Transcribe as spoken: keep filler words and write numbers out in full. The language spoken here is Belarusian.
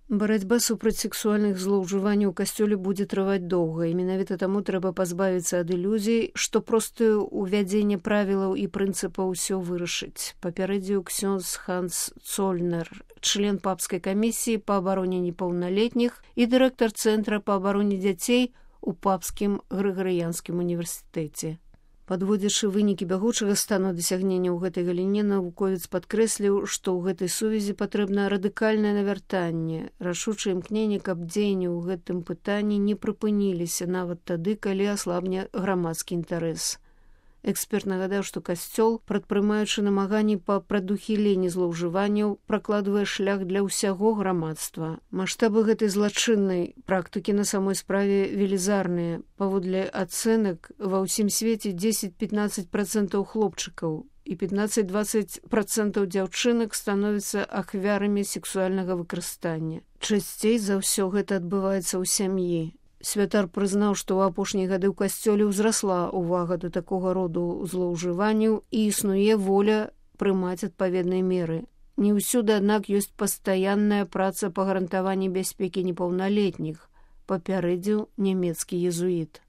Барацьба супраць сексуальных злоўжыванняў у касцёле будзе трываць доўга, і менавіта таму трэба пазбавіцца ад ілюзій, што простае ўвядзенне правілаў і прынцыпаў усё вырашыць. Папярэдзіў ксёндз Ханс Цольнер, член папскай камісіі па абароне непаўналетніх і дырэктар цэнтра па абароне дзяцей у папскім Грыгарыянскім універсітэце. Падводзячы вынікі бягучага стану дасягнення ў гэтай галіне, навуковец падкрэсліў, што ў гэтай сувязі патрэбна радыкальнае навяртанне, рашучае імкненне, каб дзеянні ў гэтым пытанні не прыпыніліся нават тады, калі аслабне грамадскі інтарэс. Эксперт нагадаў, што касцёл, прадпрымаючы намаганні па прадухіленні злоўжыванняў, пракладвае шлях для ўсяго грамадства. Маштабы гэтай злачыннай практыкі на самой справе велізарныя. Паводле ацэнак, ва ўсім свеце дзесяць-пятнаццаць працэнтаў хлопчыкаў і пятнаццаць-дваццаць працэнтаў дзяўчынак становяцца ахвярамі сексуальнага выкарыстання. Часцей за ўсё гэта адбываецца ў сям'і. Святар прызнаў, што ў апошнія гады ў касцёле ўзрасла ўвага да такога роду злоўжыванняў і існуе воля прымаць адпаведныя меры. Не ўсюды, аднак, ёсць пастаянная праца па гарантаванні бяспекі непаўналетніх, папярэдзіў нямецкі езуіт.